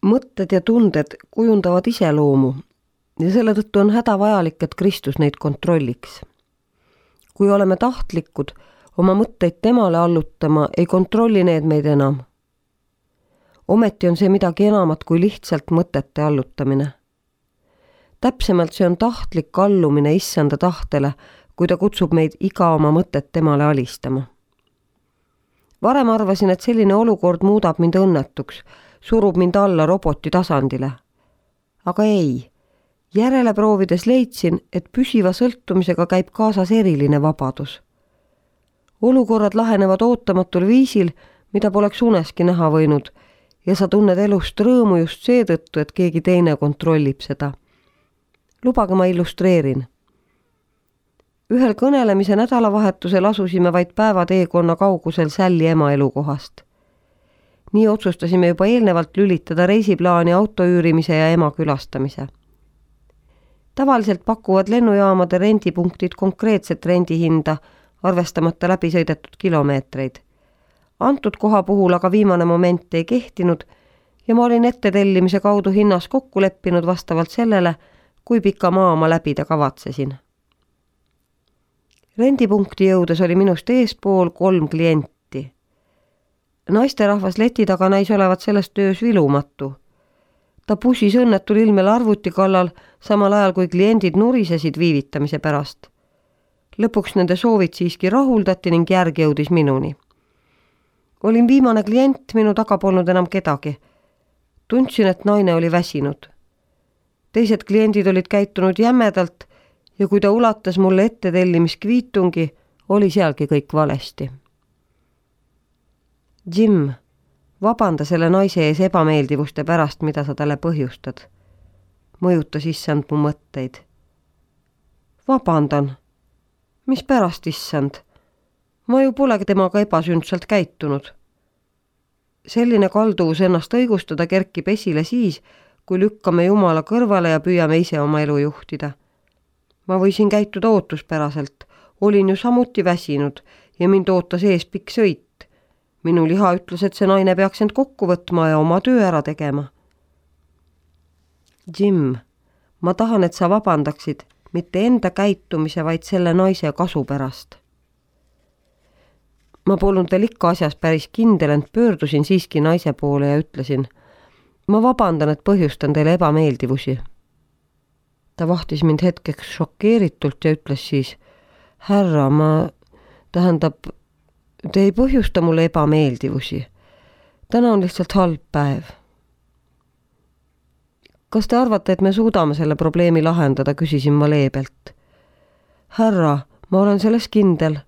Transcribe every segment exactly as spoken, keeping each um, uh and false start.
Mõtted ja tunded kujundavad iseloomu ja selle tõttu on hädavajalik, et Kristus neid kontrolliks. Kui oleme tahtlikud oma mõtteid temale allutama, ei kontrolli need meid enam. Ometi on see midagi enamat kui lihtsalt mõtete allutamine. Täpsemalt see on tahtlik allumine issanda tahtele, kui ta kutsub meid iga oma mõtet temale alistama. Varem arvasin, et selline olukord muudab mind õnnetuks, surub mind alla roboti tasandile. Aga ei, järele proovides leidsin, et püsiva sõltumisega käib kaasas eriline vabadus. Olukorrad lahenevad ootamatul viisil, mida poleks uneski näha võinud, ja sa tunned elust rõõmu just seetõttu, et keegi teine kontrollib seda. Lubage ma illustreerin. Ühel kõnelemise nädalavahetusel asusime vaid päevateekonna kaugusel Sälli ema elukohast. Nii otsustasime juba eelnevalt lülitada reisiplaani auto üürimise ja ema külastamise. Tavaliselt pakuvad lennujaamade rendipunktid konkreetset rendihinda, arvestamata läbi sõidetud kilomeetreid. Antud koha puhul aga viimane moment ei kehtinud ja ma olin ette tellimise kaudu hinnas kokku leppinud vastavalt sellele, kui pika maa ma läbida kavatsesin. Rendipunkti jõudes oli minust eespool kolm klienti. Naisterahvas leti taga näis olevat sellest töös vilumatu. Ta pusis õnnetul ilmel arvuti kallal, samal ajal kui kliendid nurisesid viivitamise pärast. Lõpuks nende soovid siiski rahuldati ning järg jõudis minuni. Olin viimane klient, minu taga polnud enam kedagi. Tundsin, et naine oli väsinud. Teised kliendid olid käitunud jämedalt ja kui ta ulatas mulle ette tellimiskviitungi, oli sealgi kõik valesti. Jim, vabanda selle naise ees ebameeldivuste pärast, mida sa talle põhjustad. Mõjutas issand mu mõtteid. Vabandan. Mis pärast issand? Ma ju polegi temaga ebasündsalt käitunud. Selline kalduvus ennast õigustada kerkib esile siis, kui lükkame Jumala kõrvale ja püüame ise oma elu juhtida. Ma võisin käituda ootuspäraselt, olin ju samuti väsinud ja mind ootas ees pikk sõit. Minu liha ütles, et see naine peaks end kokku võtma ja oma töö ära tegema. Jim, ma tahan, et sa vabandaksid, mitte enda käitumise, vaid selle naise kasu pärast. Ma polnud veel ikka asjas päris kindel, ent pöördusin siiski naise poole ja ütlesin, ma vabandan, et põhjustan teile ebameeldivusi. Ta vahtis mind hetkeks šokeeritult ja ütles siis, härra, ma tähendab, te ei põhjusta mulle ebameeldivusi. Täna on lihtsalt halb päev. Kas te arvate, et me suudame selle probleemi lahendada, küsisin ma leebelt. Härra, ma olen selles kindel.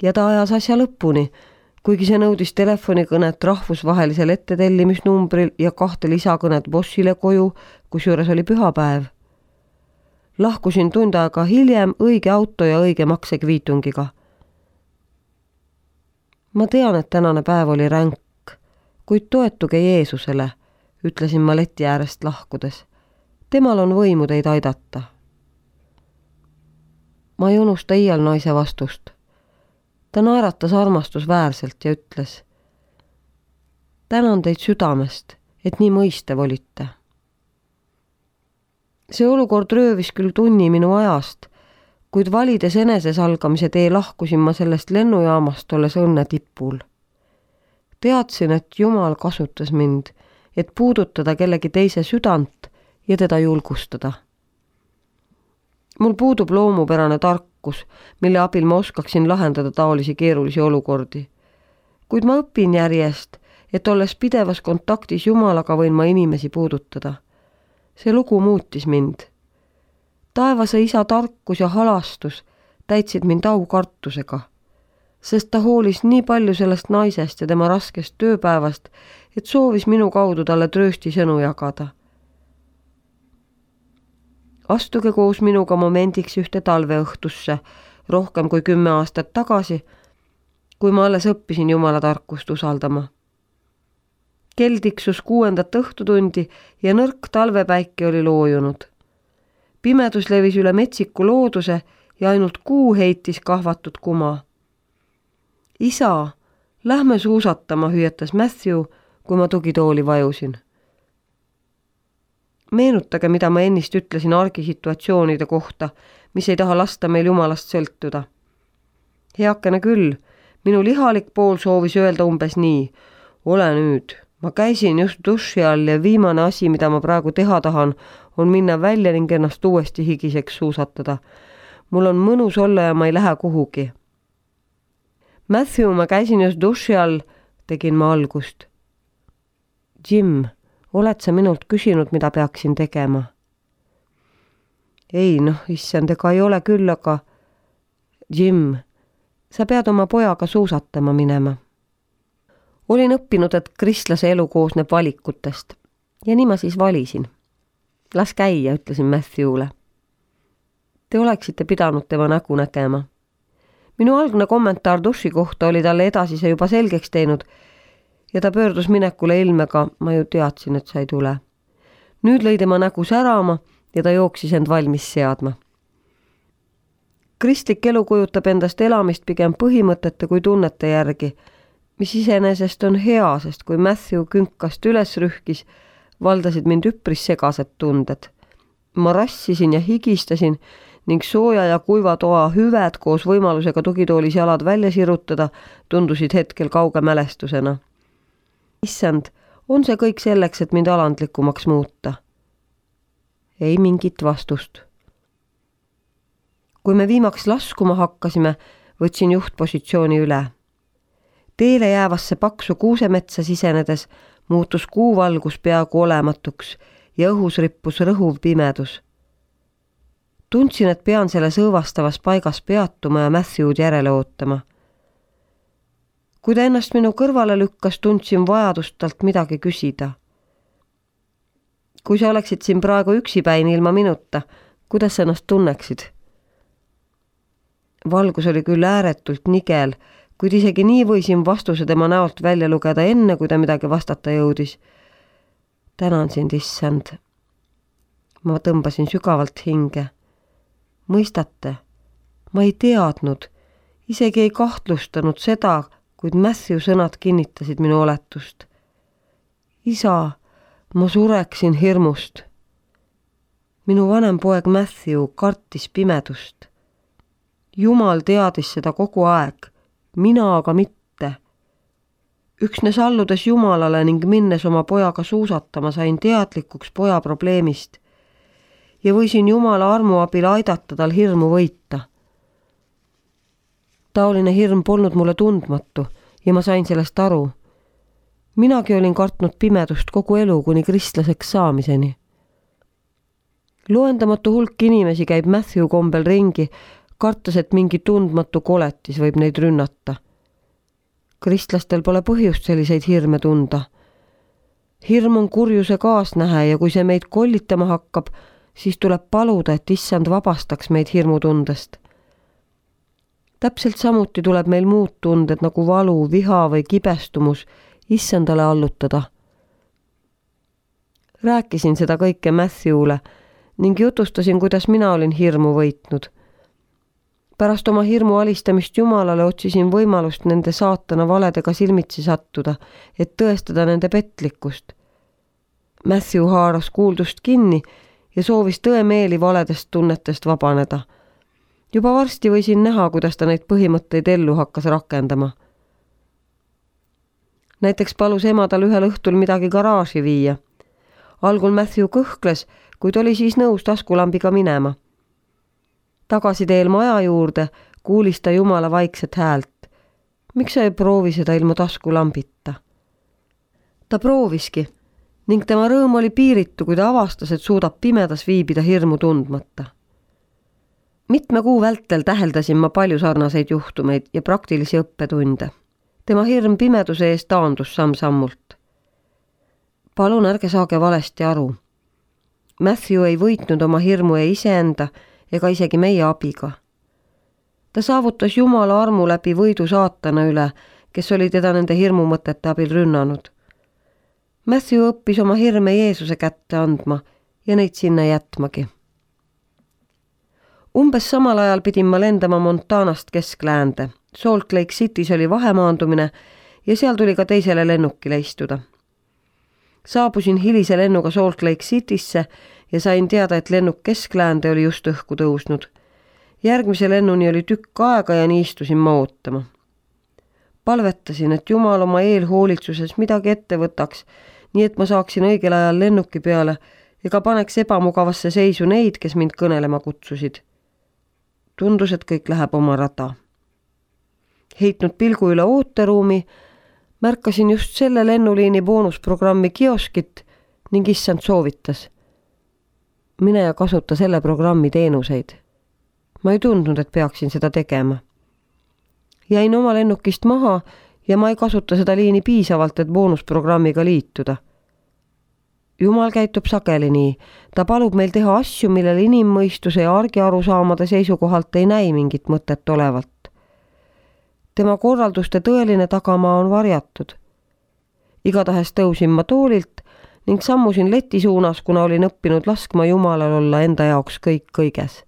Ja ta ajas asja lõpuni, kuigi see nõudis telefonikõnet rahvusvahelisel ettetellimisnumbril ja kahte lisakõnet bossile koju, kusjuures oli pühapäev. Lahkusin tund aega hiljem õige auto ja õige maksekviitungiga. Ma tean, et tänane päev oli ränk, kuid toetuge Jeesusele, ütlesin ma leti äärest lahkudes. Temal on võimu teid aidata. Ma ei unusta iial naise vastust. Ta naeratas armastusväärselt ja ütles, tänan teid südamest, et nii mõistev olite. See olukord röövis küll tunni minu ajast, kuid valides enesesalgamise tee lahkusin ma sellest lennujaamast olles õnne tipul. Teadsin, et Jumal kasutas mind, et puudutada kellegi teise südant ja teda julgustada. Mul puudub loomupärane tarkus, mille abil ma oskaksin lahendada taolisi keerulisi olukordi. Kuid ma õpin järjest, et olles pidevas kontaktis Jumalaga võin ma inimesi puudutada. See lugu muutis mind. Taevase isa tarkus ja halastus täitsid mind aukartusega, sest ta hoolis nii palju sellest naisest ja tema raskest tööpäevast, et soovis minu kaudu talle tröösti sõnu jagada. Astuge koos minuga momendiks ühte talveõhtusse, rohkem kui kümme aastat tagasi, kui ma alles õppisin Jumala tarkust usaldama. Kell tiksus kuuendat õhtutundi ja nõrk talvepäike oli loojunud. Pimedus levis üle metsiku looduse ja ainult kuu heitis kahvatud kuma. Isa, lähme suusatama, hüüatas Matthew, kui ma tugitooli vajusin. Meenutage, mida ma ennist ütlesin argisituatsioonide kohta, mis ei taha lasta meil Jumalast sõltuda. Heakene küll, minu lihalik pool soovis öelda umbes nii. Ole nüüd, ma käisin just duši all ja viimane asi, mida ma praegu teha tahan, on minna välja ning ennast uuesti higiseks suusatada. Mul on mõnus olla ja ma ei lähe kuhugi. Matthew, ma käisin just duši all, tegin ma algust. Jim, oled sa minult küsinud, mida peaksin tegema? Ei, noh, issand, ega ei ole küll, aga Jim, sa pead oma pojaga suusatama minema. Olin õppinud, et kristlase elu koosneb valikutest ja nii ma siis valisin. Las käia, ütlesin Matthewle. Te oleksite pidanud tema nägu nägema. Minu algne kommentaar duši kohta oli talle edasise juba selgeks teinud ja ta pöördus minekule ilmega, ma ju teadsin, et sa ei tule. Nüüd lõi tema nägu särama ja ta jooksis end valmis seadma. Kristlik elu kujutab endast elamist pigem põhimõtete kui tunnete järgi, mis iseenesest on hea, sest kui Matthew künkast üles rühkis, valdasid mind üpris segased tunded. Ma rassisin ja higistasin ning sooja ja kuiva toa hüved koos võimalusega tugitoolis jalad välja sirutada tundusid hetkel kauge mälestusena. Issand, on see kõik selleks, et mind alandlikumaks muuta? Ei mingit vastust. Kui me viimaks laskuma hakkasime, võtsin juhtpositsiooni üle. Teele jäävasse paksu kuusemetsa sisenedes muutus kuuvalgus peaaegu olematuks ja õhus rippus rõhuv pimedus. Tundsin, et pean selles õõvastavas paigas peatuma ja Matthew'd järele ootama. Kui ta ennast minu kõrvale lükkas, tundsin vajadust talt midagi küsida. Kui sa oleksid siin praegu üksipäin ilma minuta, kuidas sa ennast tunneksid? Valgus oli küll ääretult nigel, kuid isegi nii võisin vastuse tema näolt välja lugeda enne, kui ta midagi vastata jõudis. Tänan sind, issand. Ma tõmbasin sügavalt hinge. Mõistate, ma ei teadnud, isegi ei kahtlustanud seda, kuid Matthew sõnad kinnitasid minu oletust. Isa, ma sureksin hirmust. Minu vanem poeg Matthew kartis pimedust. Jumal teadis seda kogu aeg, mina aga mitte. Üksnes alludes Jumalale ning minnes oma pojaga suusatama sain teadlikuks poja probleemist ja võisin Jumala armu abil aidata tal hirmu võita. Taoline hirm polnud mulle tundmatu ja ma sain sellest aru. Minagi olin kartnud pimedust kogu elu kuni kristlaseks saamiseni. Loendamatu hulk inimesi käib Matthew kombel ringi, kartes, et mingi tundmatu koletis võib neid rünnata. Kristlastel pole põhjust selliseid hirme tunda. Hirm on kurjuse kaasnähe ja kui see meid kollitama hakkab, siis tuleb paluda, et issand vabastaks meid hirmutundest. Täpselt samuti tuleb meil muud tunded nagu valu, viha või kibestumus issandale allutada. Rääkisin seda kõike Matthew'le ning jutustasin, kuidas mina olin hirmu võitnud. Pärast oma hirmu alistamist Jumalale otsisin võimalust nende saatana valedega silmitsi sattuda, et tõestada nende petlikkust. Matthew haaras kuuldust kinni ja soovis tõemeeli valedest tunnetest vabaneda. Juba varsti võisin näha, kuidas ta neid põhimõtteid ellu hakkas rakendama. Näiteks palus ema tal ühel õhtul midagi garaaži viia. Algul Matthew kõhkles, kuid oli siis nõus taskulambiga minema. Tagasi teel maja juurde kuulis ta Jumala vaikset häält. Miks sa ei proovi seda ilma taskulambita? Ta prooviski ning tema rõõm oli piiritu, kui ta avastas, et suudab pimedas viibida hirmu tundmata. Mitme kuu vältel täheldasin ma palju sarnaseid juhtumeid ja praktilisi õppetunde. Tema hirm pimeduse eest taandus samm-sammult. Palun ärge saage valesti aru. Matthew ei võitnud oma hirmu ei iseenda ega isegi meie abiga. Ta saavutas Jumala armu läbi võidu saatana üle, kes oli teda nende hirmumõtete abil rünnanud. Matthew õppis oma hirme Jeesuse kätte andma ja neid sinna jätmagi. Umbes samal ajal pidin ma lendama Montanast keskläände. Salt Lake City's oli vahemaandumine ja seal tuli ka teisele lennukile istuda. Saabusin hilise lennuga Salt Lake Citysse ja sain teada, et lennuk Keskläände oli just õhku tõusnud. Järgmise lennuni oli tükk aega ja nii istusin ma ootama. Palvetasin, et Jumal oma eelhoolitsuses midagi ette võtaks, nii et ma saaksin õigel ajal lennuki peale ega paneks ebamugavasse seisu neid, kes mind kõnelema kutsusid. Tundus, et kõik läheb oma rada. Heitnud pilgu üle ooteruumi, märkasin just selle lennuliini boonusprogrammi kioskit ning issand soovitas. Mine ja kasuta selle programmi teenuseid. Ma ei tundnud, et peaksin seda tegema. Jäin oma lennukist maha ja ma ei kasuta seda liini piisavalt, et boonusprogrammiga liituda. Jumal käitub sageli nii. Ta palub meil teha asju, millel inimmõistuse ja argi arusaamade seisukohalt ei näi mingit mõtet olevalt. Tema korralduste tõeline tagamaa on varjatud. Igatahes tõusin ma toolilt ning sammusin leti suunas, kuna olin õppinud laskma Jumalal olla enda jaoks kõik kõiges.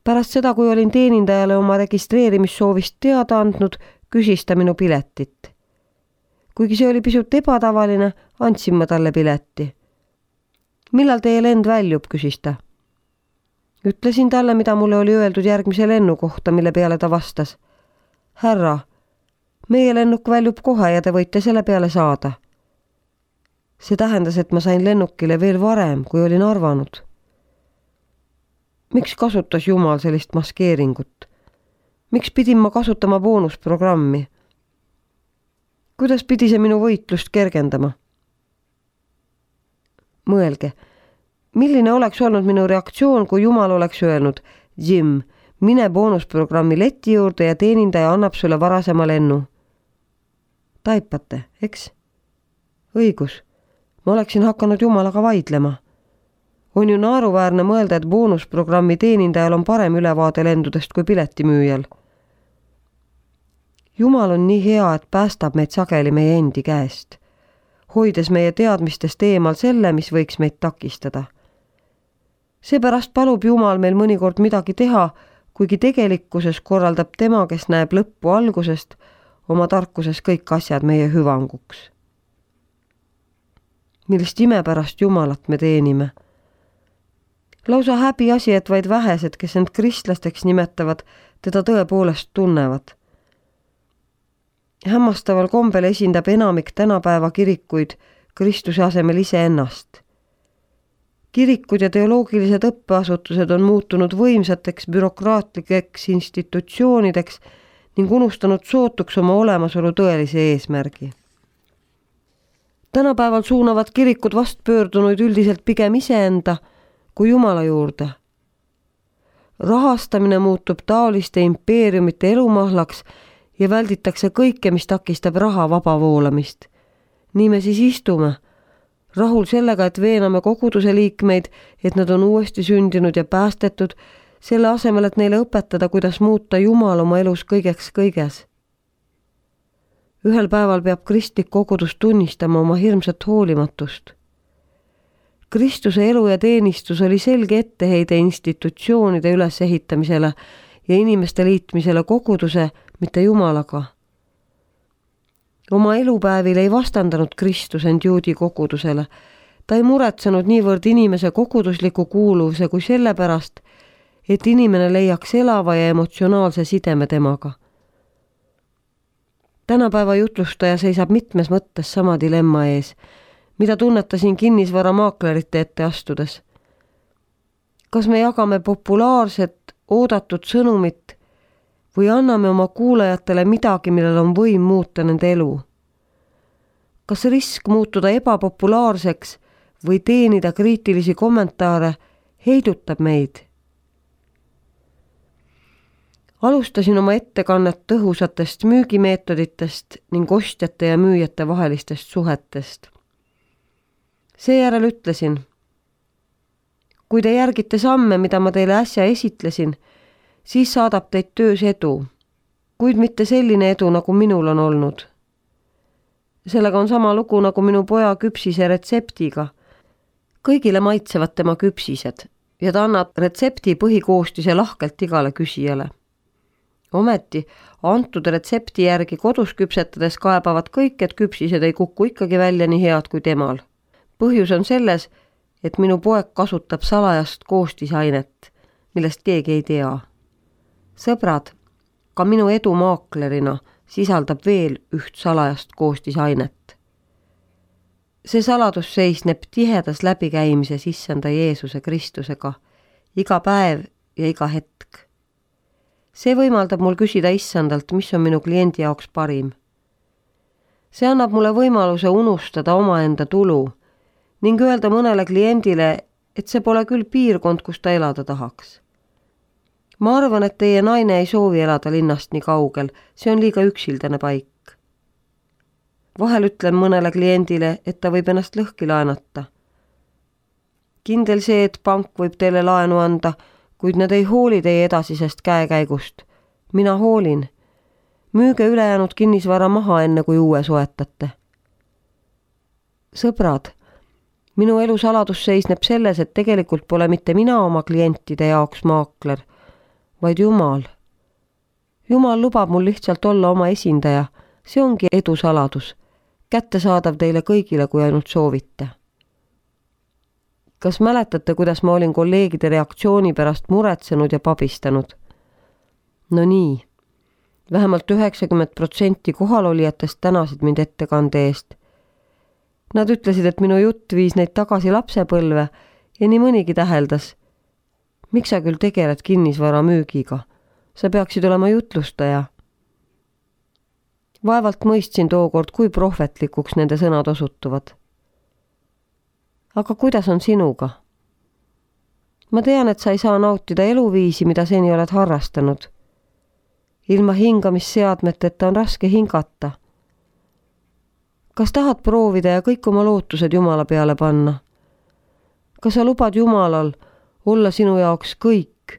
Pärast seda, kui olin teenindajale oma registreerimissoovist teada andnud, küsis ta minu piletit. Kuigi see oli pisut ebatavaline, andsin ma talle pileti. Millal teie lend väljub, küsis ta. Ütlesin talle, mida mulle oli öeldud järgmise lennu kohta, mille peale ta vastas. Härra, meie lennuk väljub kohe ja te võite selle peale saada. See tähendas, et ma sain lennukile veel varem, kui olin arvanud. Miks kasutas Jumal sellist maskeeringut? Miks pidin ma kasutama boonusprogrammi? Kuidas pidi see minu võitlust kergendama? Mõelge, milline oleks olnud minu reaktsioon, kui Jumal oleks öelnud, Jim, mine boonusprogrammi leti juurde ja teenindaja annab sulle varasema lennu. Taipate, eks? Õigus, ma oleksin hakanud Jumalaga vaidlema. On ju naaruväärne mõelda, et boonusprogrammi teenindajal on parem ülevaade lendudest kui piletimüüjal. Jumal on nii hea, et päästab meid sageli meie endi käest, hoides meie teadmistest eemal selle, mis võiks meid takistada. Seepärast palub Jumal meil mõnikord midagi teha, kuigi tegelikkuses korraldab tema, kes näeb lõppu algusest, oma tarkuses kõik asjad meie hüvanguks. Millist imepärast Jumalat me teenime. Lausa häbi asi, et vaid vähesed, kes end kristlasteks nimetavad, teda tõepoolest tunnevad. Hämmastaval kombel esindab enamik tänapäeva kirikuid Kristuse asemel iseennast. Kirikud ja teoloogilised õppeasutused on muutunud võimsateks bürokraatlikeks institutsioonideks ning unustanud sootuks oma olemasolu tõelise eesmärgi. Tänapäeval suunavad kirikud vastpöördunuid üldiselt pigem iseenda kui Jumala juurde. Rahastamine muutub taoliste impeeriumite elumahlaks ja välditakse kõike, mis takistab raha vaba voolamist. Nii me siis istume, rahul sellega, et veename koguduse liikmeid, et nad on uuesti sündinud ja päästetud, selle asemel, et neile õpetada, kuidas muuta Jumal oma elus kõigeks kõiges. Ühel päeval peab kristlik kogudus tunnistama oma hirmsat hoolimatust. Kristuse elu ja teenistus oli selge etteheide institutsioonide ülesehitamisele ja inimeste liitmisele koguduse, mitte Jumalaga. Oma elupäevil ei vastandanud Kristus end juudi kogudusele. Ta ei muretsenud niivõrd inimese kogudusliku kuuluvuse kui sellepärast, et inimene leiaks elava ja emotsionaalse sideme temaga. Tänapäeva jutlustaja seisab mitmes mõttes sama dilemma ees, mida tunnetasin kinnisvaramaaklerite ette astudes. Kas me jagame populaarset, oodatud sõnumit või anname oma kuulajatele midagi, millel on võim muuta nende elu? Kas risk muutuda ebapopulaarseks või teenida kriitilisi kommentaare heidutab meid? Alustasin oma ettekannet tõhusatest müügimeetoditest ning ostjate ja müüjate vahelistest suhetest. Seejärel ütlesin, kui te järgite samme, mida ma teile äsja esitlesin, siis saadab teid töös edu, kuid mitte selline edu, nagu minul on olnud. Sellega on sama lugu nagu minu poja küpsise retseptiga. Kõigile maitsevad tema küpsised ja ta annab retsepti põhikoostise lahkelt igale küsijale. Ometi antud retsepti järgi kodus küpsetades kaebavad kõik, et küpsised ei kuku ikkagi välja nii head kui temal. Põhjus on selles, et minu poeg kasutab salajast koostisainet, millest keegi ei tea. Sõbrad, ka minu edu maaklerina sisaldab veel üht salajast koostisainet. See saladus seisneb tihedas läbikäimises Issanda Jeesuse Kristusega iga päev ja iga hetk. See võimaldab mul küsida Issandalt, mis on minu kliendi jaoks parim. See annab mulle võimaluse unustada omaenda tulu ning öelda mõnele kliendile, et see pole küll piirkond, kus ta elada tahaks. Ma arvan, et teie naine ei soovi elada linnast nii kaugel, see on liiga üksildane paik. Vahel ütlen mõnele kliendile, et ta võib ennast lõhki laenata. Kindel see, et pank võib teile laenu anda, kuid nad ei hooli teie edasisest käekäigust. Mina hoolin. Müüge ülejäänud kinnisvara maha enne, kui uue soetate. Sõbrad, minu elu saladus seisneb selles, et tegelikult pole mitte mina oma klientide jaoks maakler, vaid Jumal. Jumal lubab mul lihtsalt olla oma esindaja. See ongi edu saladus. Kättesaadav teile kõigile, kui ainult soovite. Kas mäletate, kuidas ma olin kolleegide reaktsiooni pärast muretsenud ja pabistanud? No nii, vähemalt üheksakümmend protsenti kohalolijatest tänasid mind ettekande eest. Nad ütlesid, et minu jutt viis neid tagasi lapsepõlve ja nii mõnigi täheldas. Miks sa küll tegeled kinnisvara müügiga? Sa peaksid olema jutlustaja. Vaevalt mõistsin tookord, kui prohvetlikuks nende sõnad osutuvad. Aga kuidas on sinuga? Ma tean, et sa ei saa nautida eluviisi, mida seni oled harrastanud. Ilma hingamisseadmeteta on raske hingata. Kas tahad proovida ja kõik oma lootused Jumala peale panna? Kas sa lubad Jumalal olla sinu jaoks kõik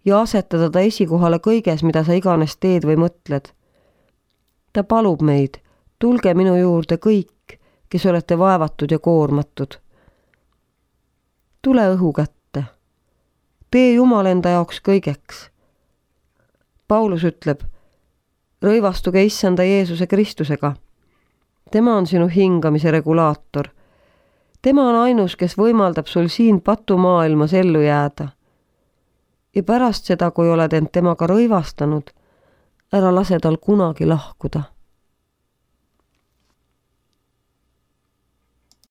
ja asetada ta esikohale kõiges, mida sa iganes teed või mõtled? Ta palub meid, tulge minu juurde kõik, kes olete vaevatud ja koormatud. Tule õhu kätte. Tee Jumal enda jaoks kõigeks. Paulus ütleb, rõivastuge Issanda Jeesuse Kristusega. Tema on sinu hingamise regulaator. Tema on ainus, kes võimaldab sul siin patumaailmas ellu jääda. Ja pärast seda, kui oled end temaga rõivastanud, ära lase tal kunagi lahkuda.